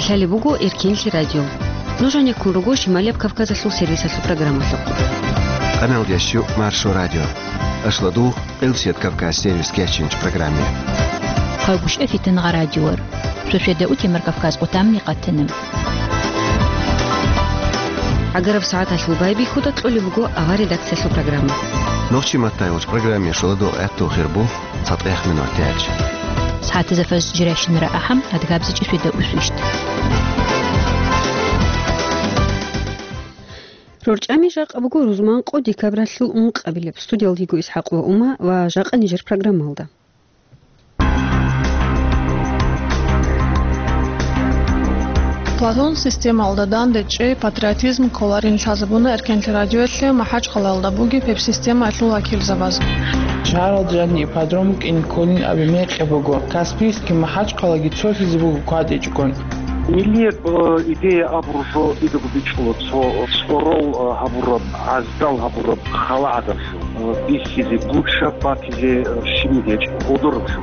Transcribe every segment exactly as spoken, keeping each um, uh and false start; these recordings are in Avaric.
Лъалеб буго Эркенлъи радио. Нуж гьанеккун руго Шималияб Кавказалъул сервисалъул программалъухъ. Къаналдящу Маршо радио. Ашладугъ, Къилсият Кавказ сервис кечинч программе. Къагушев Фитингъа радиор. Шошеда утемар Кавказ къутамни къатана. ГӀагараб сагӀаталъул байбихьуда кьолеб буго авар редакциялъул программа. Нохчи маттай уч программе шоладо этту хирбу. ЦатӀехъ минуталъ. СагӀатазда фажр жирайщинара ахӀам, адгабзичӀи шведа усвищ. РорчӀами жакъа буго рузманкъо декабралъул ункъабилеб. Студиялдиго ИсхӀакъ ва Ума ва жакъа нижер программалда. Платон системалда дандечӀей патриотизм кколарин лъазабуна Эркенлъи радиоялъе МахӀачхъалаялда бугеб гьеб системаялъул вакилзабаз. Шагьаралда жаниб ипподром букӀине кколин абе мекъи буго. Каспийский МахӀачхъалаги цолъизе буго кватӀичӀгун. Миллияб, э, идея абураб жо идего бичӀчӀула цо цӀорол, э, гьабураб, гӀаздал гьабураб хала гӀадамлъун, э, бихьизе, гучаб батизе, э, щибниги гьечӀеб, гъодораб жо.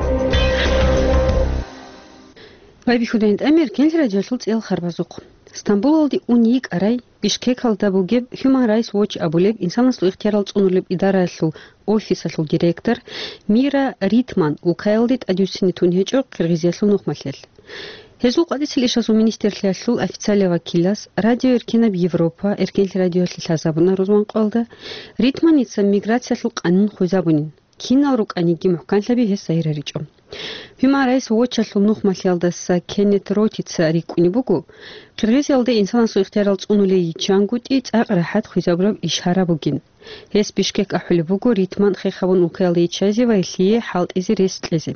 Байбихьудайин тӀамер Эркенлъи радиоялъул цӀиял харбазухъ. Стамбулалде ун йикӀарай, Бишкекалда бугеб Human Rights Watch абулеб инсанасул ихтиярал цӀунулеб идараялъул офисалъул директор Мира Ритман улкаялде тӀадвуссине тун гьечӀо Къиргъизиялъул нухмалъиялъ. Гьезул къватӀисел ишазул министрлъиялъул официалияв вакилас Радио Эркенаб Европа Эркенлъи радиоялъе лъазабуна рузманкъоялда, Ритманица миграциялъул къанун хвезабунин, кинал рукӀаниги мухӀканлъаби гьес загьир гьаричӀо. Human Rights Watch-алъул нухмалъиялдаса Кеннет Ротица рикӀкӀунеб буго, Къиргъизиялда инсанасул ихтиярал цӀунулей йиччангутӀи цӀакъ рахӀат хвезабураб иш гьараб бугин. Гьес Бишкек ахӀулеб буго Ритман хех гьабун улкаялда йиччазе ва гьелъие хӀалтӀизе рес кьезе.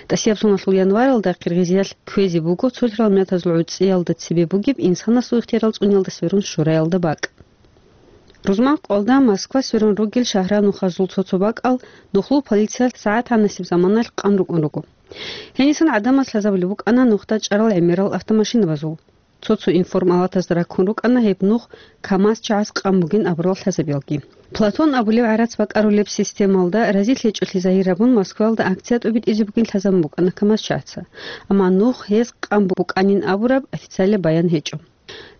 ТӀасияб соналъул январалда Къиргъизиялъ кквезе буго цолъарал миллатазул гӀуцӀиялда цебе бугеб инсанасул ихтиярал цӀуниялда сверун шураялда бакӀ. Рузманкъоялда Москва сверун ругел шагьраб нухазул цо-цо бакӀал нухлул полиция сагӀат-гьанасеб заманалъ къан рукӀун руго. Гьенисан гӀадамаз лъазабулеб букӀана нухда чӀарал гӀемерал автомашинабазул. Цо-цо информалатазда раккун рукӀана гьеб нух КамАЗ чагӀаз къан бугин абурал лъазабиялги. Платон абулев гӀарац бакӀарулеб системалда разилъичӀолъи загьир гьабун Москваялда акция тӀубитӀизе бугин лъазабун букӀана КамАЗ чагӀаца. Амма нух гьез къан букӀанин абураб официалаб баян гьечӀо.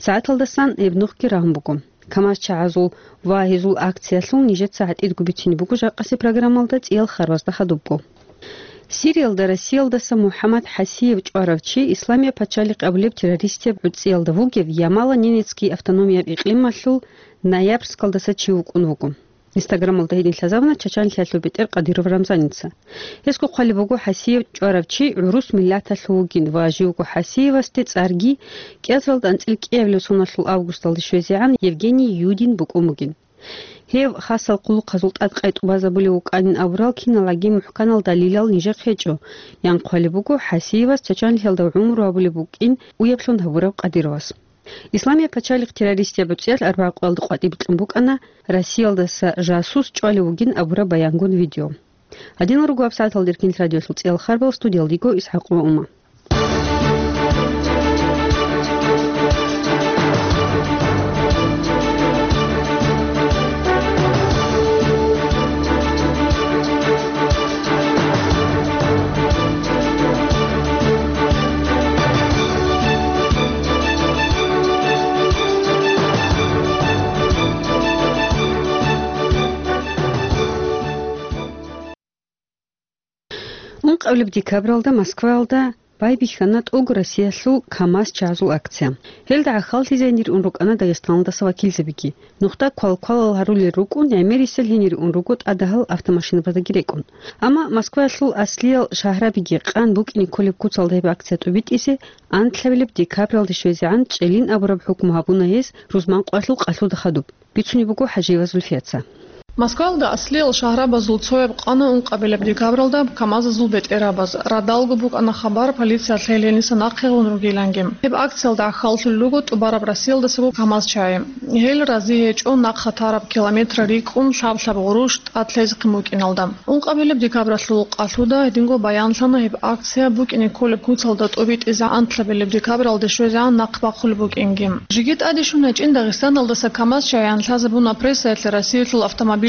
СагӀаталдасан гьеб нухги рагьун буго. КамАЗ чагӀазул ва гьезул акциялъул нижеца гӀатӀидго бицине буго жакъасе программалда цӀиял харбазда хадубго. Сириялда Россиялдаса МухӀаммад ХӀасиев чӀварав чи Исламияб пачалихъ абулеб террористияб гӀуцӀиялда вугев Ямало-Ненецкий автономияб икълималъул Ноябрьскалдаса чи вукӀун вуго. Инстаграмалда гьедин лъазабуна Чачанлъиялъул бетӀер Кадыров Рамзаница. Гьесго хъвалеб буго ХӀасиев чӀварав чи гӀурус миллаталъул вугин ва живго ХӀасиевасде цӀарги кӀиазаралда анцӀила кӀиабилеб соналъул августалде щвезегӀан Евгений Юдин букӀун бугин. Гьев хасал хъулухъазул тӀад къайтӀубазабулев вукӀанин абурал киналаги мухӀканал далилал нижехъ гьечӀо, ян хъвалеб буго ХӀасиевас Чачанлъиялда гӀумру гьабулеб букӀин уяблъун гьабураб Кадыровас. Исламияб пачалихъ террористияб гӀуцӀиялъ арбагӀа къоялда къватӀиб кьун букӀана Россиялдаса жасус чӀвалев вугин абураб баянгун видео. Гьадинал руго гьабсагӀаталда Эркенлъи радиоялъул цӀиял харбал, студиялдиго ИсхӀакъ ва Ума. Ункъабилеб декабралда Москваялда байбихьана тӀугу Россиялъул КамАЗ чагӀазул акция. Гьелда гӀахьаллъизайин ригӀун рукӀана Дагъистаналдаса вакилзабиги. Нухда квалквалал гьарулел рукӀун, гӀемерисел гьенир ун руго тӀадагьал автомашинабаздаги рекӀун. Амма Москваялъул аслиял шагьрабиги къан букӀине кколеб куцалда гьеб акция тӀубитӀизе анлъабилеб декабралде щвезегӀан чӀелин абураб хӀукму гьабуна гьез рузманкъоялъул къалъуда хадуб. Бицунеб буго ХӀажиева Зульфияца. Москваялда аслиял шагьрабазул цояб къана ункъабилеб декабралда КамАЗазул бетӀерабаз. Радалго букӀана хабар, полициялъ гьел гьениса нахъе гъун ругиланги. Гьеб акциялда гӀахьаллъулел руго тӀубараб Россиялдасаго КамАЗ чагӀи. Гьел рази гьечӀо нахъа тараб километр рикӀкӀун лъаб-лъаб гъурущ тӀад лъезехъин букӀиналда. Ункъабилеб декабралъул къалъуда гьединго баянлъана гьеб акция букӀине кколеб куцалда тӀубитӀизе анлъабилеб декабралде щвезегӀан нахъ бахъулеб букӀинги. Жеги тӀаде щун гьечӀин Дагъистаналдаса КамАЗ чагӀи анлъазабуна прессаялъе Россиялъул автомобиль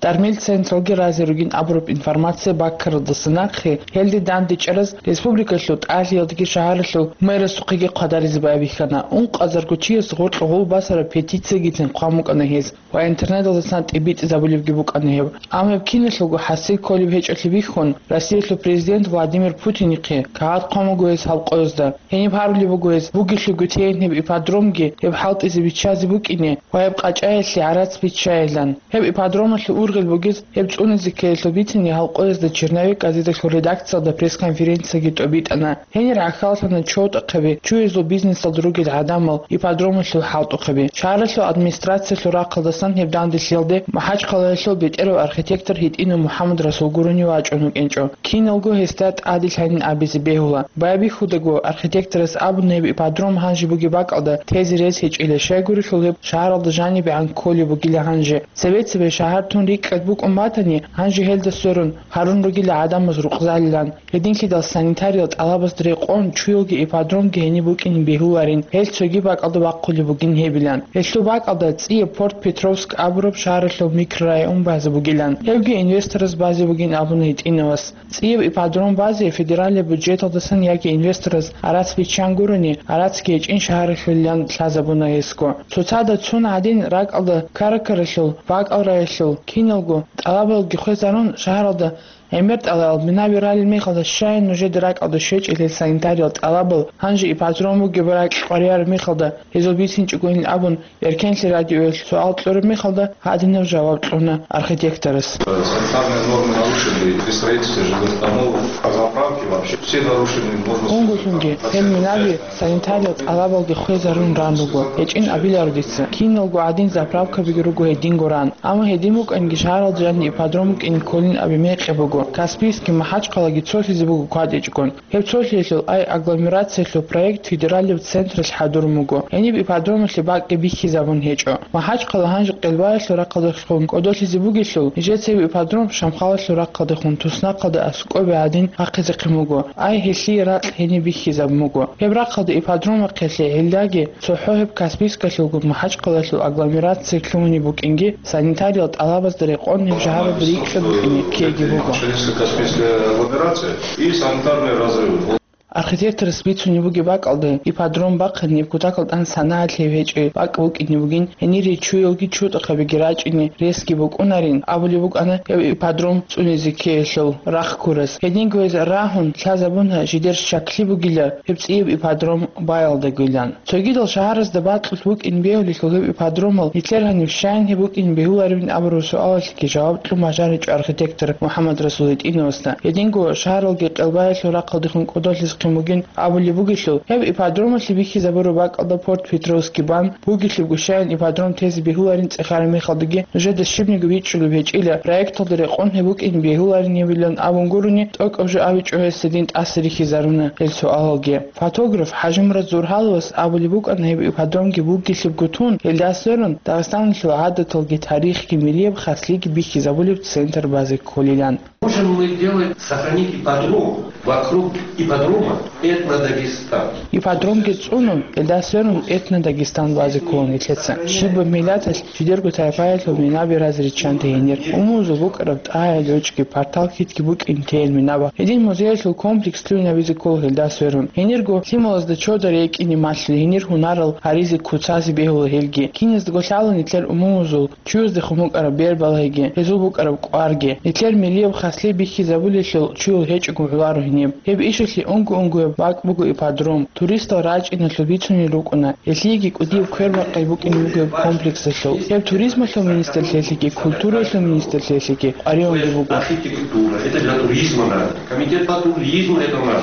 Дармил централги разе ругин абураб информация баккаралдаса нахъе, гьелде дандечӀараз республикалъул тӀалъиялдаги шагьаралъул мэрасухъеги хъвадаризе байбихьана. Ункъазарго чияс гъоркьа гъул басараб петициягицин хъван букӀана гьез ва интернеталдасан тӀибитӀизабулебги букӀана гьеб. Амма гьеб киналъулго хӀасил кколеб гьечӀолъи бихьун, Россиялъул президент Владимир Путинихъе кагъат хъван буго гьес гьал къоязда. Гьениб гьарулеб буго гьес бугелъулго тейин гьеб ипподромги гьеб хӀалтӀизе биччазе букӀине ва гьеб къачӀаялъе гӀарац биччайилан. Гьеб ипподромалъул ургъел бугез гьеб цӀунизе ккеялъул бицине гьал къоязда «Черновик» газеталъул редакциялда пресс-конференцияги тӀобитӀана. Гьенир гӀахьаллъана чотӀахъаби, чуязул бизнесалда ругел гӀадамал ипподромалъул хӀалтӀухъаби. Шагьаралъул администрациялъул рахъалдасан гьеб данделъиялде МахӀачхъалаялъул бетӀерав архитектор ГьитӀинов МухӀаммадрасул гурони вачӀун вукӀинчӀо. Киналго гьесда тӀаде лъанин абизе бегьула. Байбихьудаго, архитекторас абуна гьеб ипподром гьанже бугеб бакӀалда тезе рес гьечӀила, щайгурелъул гьеб шагьаралда жанибегӀан кколеб бугила гьанже. Цебе-цебе шагьар тун рикӀкӀад букӀун батани, гьанже гьелда сверун гьарун ругила гӀадамаз рукъзалилан. Гьединлъидал санитариял тӀалабазда рекъон чуялги ипподромги гьениб букӀине бегьуларин, гьел цоги бакӀалда бахъулеб бугин гьебилан. Гьелъул бакӀалда цӀияб Порт Петровск абураб шагьаралъул микрорайон базе бугилан. Гьебги инвестораз базе бугин абуна ГьитӀиновас. ЦӀияб ипподром базе федералияб бюджеталдасан яги инвестораз гӀарац биччан гурони, гӀарацги гьечӀин шагьаралъулилан лъазабуна гьесго. Цоцазда цун гӀадин ракӀалда Каракаралъул, Бакьал районалъул, киналго тӀалабалги хвезарун, шагьаралда гӀемер тӀалабал минаби ралел мехалда, щай нужеда ракӀалда щвечӀила гьел санитариял тӀалабал, гьанже ипподром бугеб ракь къваригӀараб мехалда, гьезул бицинчӀогойин абун, Эркенлъи радиоялъ суал кьураб мехалда, гьадинаб жаваб кьуна архитекторас. Санитарные нормы нарушены при строительстве жилых домов, заправки вообще все нарушены, можно сказать. Унго-лъунги, гьел минаби санитариял тӀалабалги хвезарун ран руго, гьечӀин абиларо дица. Киналго гӀадин заправкабиги руго гьединго ран. Амма гьедин букӀанги шагьаралда жаниб ипподром букӀине кколин аби мекъи буго. Каспийскги МахӀачхъалаги цолъизе буго кватӀичӀгун. Гьеб цолъиялъул ай агломерациялъул проект федералияб централъ хӀадурун буго. Гьениб ипподромалъе бакӀги бихьизабун гьечӀо. МахӀачхъала гьанже къелбаялъул рахъалдехун кӀодолъизе бугелъул, нижеца гьеб ипподром Шамхалалъул рахъалдехун туснахъалда аскӀобегӀадин бахъизехъин буго. Ай гьелъие ракь гьениб бихьизабун буго. Гьеб рахъалда ипподром бахъиялъе гӀиллаги, цохӀо гьеб Каспийскалъулгун МахӀачхъалалъул агломерация лъугьунеб букӀинги, санитариял тӀалабазда рекъон гьеб шагьаралда рикӀкӀад букӀине ккеги буго. Каспийская агломерация и санитарные разрывы. Архитекторас бицунеб бугеб бакӀалда, ипподром бахъин гьеб кутакалда тӀан санагӀалъи гьечӀеб бакӀ букӀине бугин, гьенире чуялги чутӀахъабиги рачӀине ресги букӀунарин абулеб букӀана гьеб ипподром цӀунизе ккеялъул рахъ ккурас. Гьединго гьез рагьун лъазабуна жидер щаклъи бугила гьеб цӀияб ипподром баялдагойилан. Цогидал шагьаразда бакьулъ букӀин бегьулелъул гьеб ипподромал нилъер гьаниб щайин гьеб букӀин бегьуларебин абураб суалалъеги жаваб кьун бажаричӀо архитектор МухӀаммадрасул ГьитӀиновасда. Гьединго шагьаралги къелбаялъул рахъалдехун кӀодолъизехъин бугин абулеб бугелъул, гьеб ипподромалъе бихьизабураб бакӀалда Порт Петровский бан бугелъубго щайин ипподром тезе бегьуларин цӀехараб мехалдаги нужеда щибниги бичӀчӀулеб гьечӀила, проекталда рекъон гьеб букӀин бегьуларин гьебилан абун гурони, тӀокӀаб жо абичӀо гьес гьедин тӀаса рихьизаруна гьел суалалги. Фотограф ХӀажимурад Зурхаловас абулеб букӀана гьеб ипподромги бугелъубго тун, гьелда сверун Дагъистаналъул гӀадаталги тарихги миллияб хаслъиги бихьизабулеб центр базе кколилан. Можем мы делать, сохранить ипподром, вокруг ипподрома этнодагестан. Ипподромги цӀунун, гьелда сверун этнодагестан базе кколин нилъеца. Щибаб миллаталъ жидерго тайпаялъул минаби разе риччанте гьенир. Умумузул букӀараб тӀагӀел-гӀочӀги, партал-хьитги букӀин тейин минаба. Гьедин музеялъул комплекс лъугьинабизе ккола гьелда сверун. Гьенирго лъималазда чодар рекӀине малъула, гьенир гьунарал гьаризе куцазе бегьула гьелги. Киназдаго лъала нилъер умумузул чуяздехун букӀараб бер балагьиги, гьезул букӀараб кӀварги. Нилъер миллияб хаслъи бихьизабулелъул чуял гьечӀого гӀоларо гьениб. Гьеб ишалъе унго-унгояб бакӀ буго ипподром. Туристал рачӀиналъул бицунел рукӀуна. Гьелъиеги кӀудияб квербакъи букӀине буго гьеб комплексалъул. Гьеб туризмалъул министрлъиялъеги, культураялъул министрлъиялъеги къваригӀунги буго. Архитектура, это для туризма надо. Комитет по туризму это надо.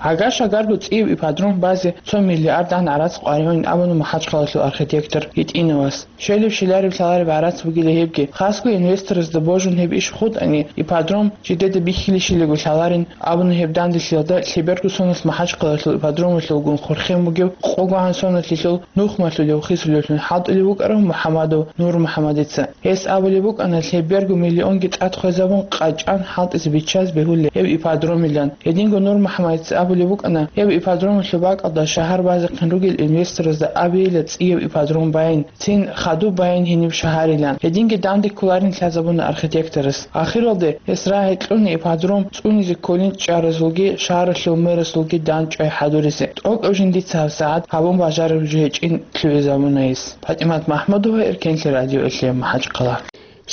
Гьагар-шагарго цӀияб ипподром базе цо миллиард гӀан гӀарац къваригӀунин абуна МахӀачхъалалъул архитектор ГьитӀиновас. Щолеб-щолареб лъалареб гӀарац бугила гьебги. Хасго инвесторзда божун гьеб иш хутӀани, ипподром жидеда бихьилищилаго лъаларин абуна гьеб данделъиялда лъеберго соналъ МахӀачхъалалъул ипподромалъулгун хурхен бугев къогогӀан соналъилъул нухмалъулев хисулевлъун хӀалтӀулев вукӀарав МухӀамадов Нурмухьамадица. Гьес абулеб букӀана лъеберго миллионги тӀад хвезабун къачӀан хӀалтӀизе биччазе бегьулеб гьеб ипподромилан. Гьединго Нурмухьамадица Абулеб букӀана, гьеб ипподромалъул бакӀалда шагьар базехъин ругел инвесторазда абейила цӀияб ипподром байин, цин хадуб байин гьениб шагьарилан. Гьединги данде кколарин лъазабуна архитекторас. Ахиралде гьес рагӀи кьуна ипподром цӀунизе кколин чӀаразулги шагьаралъул мэрасулги дандчӀвай хӀадуризе. ТӀокӀаб жиндица гьабсагӀат гьабун бажараб жо гьечӀин лъугӀизабуна гьес. ПатӀимат МахӀмудова, Эркенлъи радиоялъе, МахӀачхъала.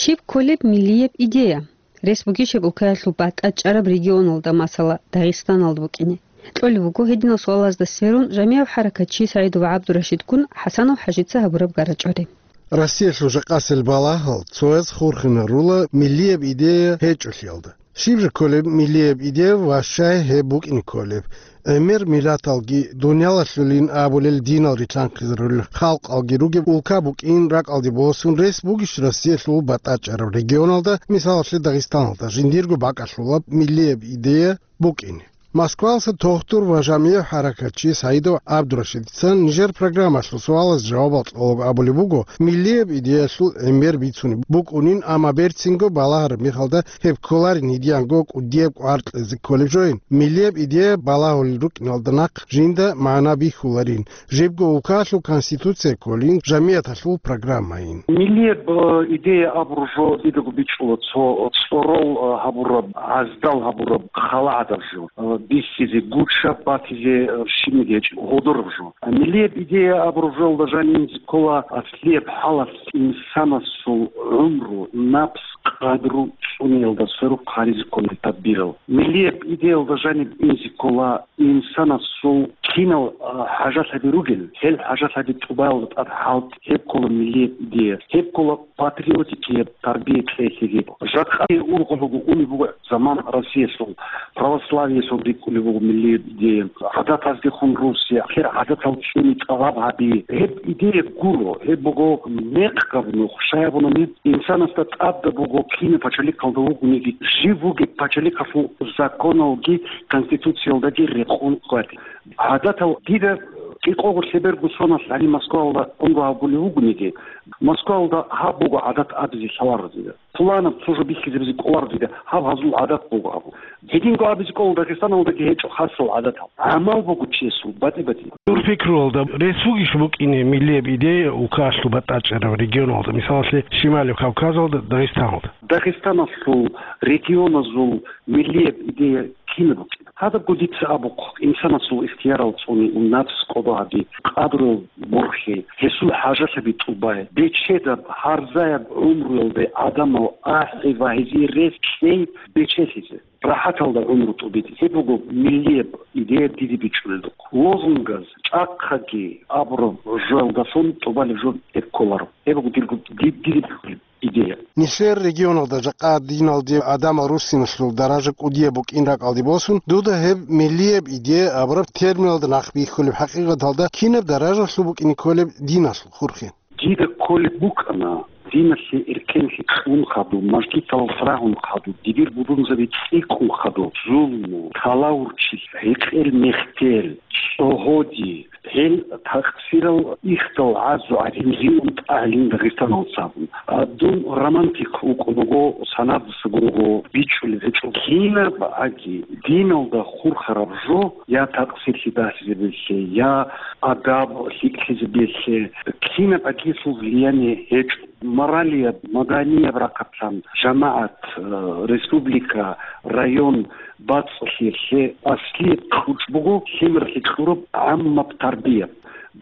Щиб кколеб миллияб идея? Рес бугищеб улкаялъул батӀа чӀараб регионалда, масала, Дагъистаналда букӀине? Кьолеб буго гьединал суалазда сверун жамигӀав хӀаракатчи СагӀидов ГӀабдурашидгун ХӀасанов ХӀажица гьабураб гарачӀвари. Россиялъул жакъасел балагьал цояз хурхинарула миллияб идея гьечӀолъиялда. Щиб жо кколеб миллияб идея ва щай гьеб букӀине кколеб? ГӀемер миллаталги, дуниялалъулин абулел динал рилъанхъизарулел халкъалги ругеб улка букӀин ракӀалде босун, рес бугищ Россиялъул батӀа чӀараб регионалда, мисалалъе Дагъистаналда, жиндирго бакӀалъулаб миллияб идея букӀине? Москвалъа тухтур ва жамигӀ хӀаракатчи СагӀидов ГӀабдурашидица нижер программалъул суалаз жавабал кьолеб абулеб буго, миллияб идеялъул гӀемер бицунеб букӀунин, амма берцинго балагьараб мехалда гьеб кколарин гьединго кӀудияб кӀвар кьезе кколеб жоин, миллияб идея балагьулел рукӀиналда нахъ жинда магӀна бихьуларин, жибго улкалъул конституция кколин, жамигӀаталъул программайин. Миллияб, э, идея абураб жо дидаго бичӀчӀула цо цӀорол, э, гьабураб, гӀаздал гьабураб хала гӀадаб жо, э, бихьизе, гучаб батизе, э, щибниги гьечӀеб, гьодораб жо. Миллияб идея абураб жоялда жаниб инзе ккола аслияб хӀалалъ инсанасул гӀумру, напс, къадру цӀуниялда сверухъ гьаризе кколел тадбирал. Миллияб идеялда жаниб инзе ккола инсанасул кинал, а, хӀажалъаби ругел, гьел хӀажалъаби тӀубаялда тӀад хӀалтӀи, гьеб ккола миллияб идея, гьеб ккола патриотикияб тарбия кьезе. Жакъа ургъун буго, унеб буго заман Россиялъул, православиялъул рикӀкӀунеб буго миллияб идея. ГӀадатаздехун русе, ахир гӀадатал цӀуни тӀалаб гьаби. Гьеб идея гуро, гьеб буго мекъ гьаб нух, щай абунани, инсанасда тӀадаб буго кинаб пачалихъалда вугониги, жив вугеб пачалихъалъул законалги конституциялдаги рекъон хъвати. ГӀадатал дида кӀикъого лъеберго соналъ гьаниб Москваялда унго гьабулев вугониги, Москваялда гьаб буго гӀадат абизе лъаларо дида. Пуланаб цо жо бихьизабизе кӀоларо дида, гьаб гьазул гӀадат буго абу. Гьединго абизе кӀола Дагъистаналдаги гьечӀо хасал гӀадатал. ГӀамал буго чиясул, батӀи-батӀи. Дур пикруялда, рес бугищ букӀине миллияб идея улкалъул батӀа чӀараб регионалда, мисалалъе, Шималияб Кавказалда, Дагъистаналда? Дагъистаналъул регионазул миллияб идея кинаб букӀина? Гьадабго дица абухъ, инсанасул ихтиярал цӀуни, напс кӀодо гьаби, къадру борхи, гьесул хӀажалъаби тӀубай, бечедаб, гьарзаяб гӀумруялде гӀадамал ахӀи ва гьезие рес кьей бечелъизе, рахӀаталда гӀумру тӀубизе. Гьеб буго миллияб идея диде бичӀчӀулелдухъ. Лозунгаз, чӀахъаги абураб жоялдалъун тӀубалеб жо гьеб кколаро. Гьеб буго дирго, ди-, диде бихьулеб идея. Нилъер регионалда жакъа диналде гӀадамал руссиналъул даража кӀудияб букӀин ракӀалде босун, дуда гьеб миллияб идея абураб терминалда нахъ бихьулеб хӀакъикъаталда кинаб даражалъул букӀине кколеб диналъул хурхен? Дида кколеб букӀана, диналъе эркенлъи кьун хадуб, мажгиталалъ рагьун хадуб, дибир будунзаби цӀикӀкӀун хадуб, зулму, талаурчилъи, гьекъел-мехтел, цӀогьоди, гьел такъсирал ихдал гӀазу гӀадин риун тӀагӀилин Дагъистаналцабун. А, дун романтик вукӀун вуго, санаб-, сагурго бичӀчӀулеб гьечӀо. Кинаб аги диналда хурхараб жо, я такъсирлъи бахизабиялъе, я адаб лъикӀлъизабиялъе, кинаб агилъул влияние гьечӀо. Моралияб, маданияб рахъалъан, жамагӀат, э, республика, район, бацӀцӀалъиялъе аслияб кьучӀ буго лъимерлъи кьураб гӀаммаб тарбия.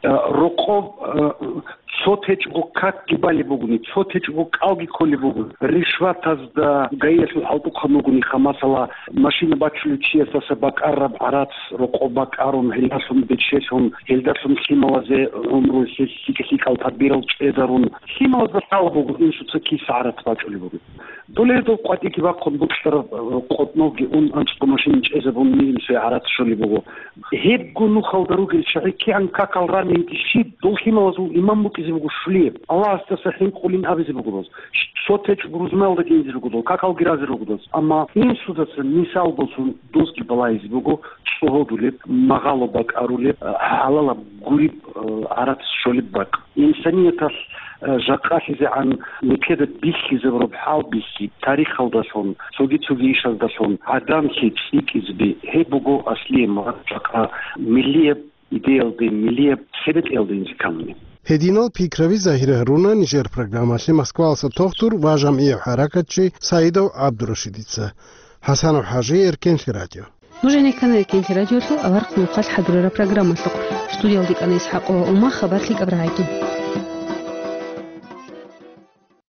Э, рокъоб, э, цо течӀого какги балеб бугони, цо течӀого кӀалги кколеб буго. Ришватазда, гаилъул хӀалтӀухъан вугони, ха, масала, машина бачулев чиясдаса бакӀараб гӀарац рокъоб бакӀарун, гьелдалъун бечелъун, гьелдалъун лъималазе гӀумру лъикӀ-лъикӀал тадбирал чӀезарун, лъималазда лъала буго инсуца киса гӀарац бачӀулеб бугеб. Доле дол къватӀиги бахъун букьараб, э, къотӀновги ун, анцӀго машин чӀезабун, милимсуе гӀарац щолеб буго. Гьебго нухалда ругел чагӀи кигӀан какал ранин щиб, дол лъималазул иман букӀизе буго щулияб. Аллагьасдаса хӀинкъулин абизе буго доз. Цо течӀ рузмаялдаги инзе руго дол, какалги разе руго доз. Амма инсудаса мисал босун дозги балагьизе буго цӀогьодулеб, магъало бакӀарулеб, э, хӀалалаб гуриб, э, гӀарац щолеб бакӀ. Инсанияталъ Жакъа лъизегӀан нилъеда бихьизабураб хӀал бихьи, тарихалдалъун, цоги-цоги ишаздалъун гӀадамлъи цӀикӀкӀизеби, гьеб буго аслияб мурад жакъа миллияб идеялде, миллияб цебетӀиялде инжитамуни. Гьединал пикраби загьир гьаруна нижер программалъе Москваласа тохтур ва жамгӀияв хӀаракатчи Саидов ГӀабдурашидица. ХӀасанов ХӀажи, Эркенлъи радио. Нуж гьенеккана Эркенлъи радиолъул аварагъ нухалъ хӀадурараб программалъухъ. Студиялда кӀана ИсхӀакъова Ума, хабар лъикӀаб рагӀаги.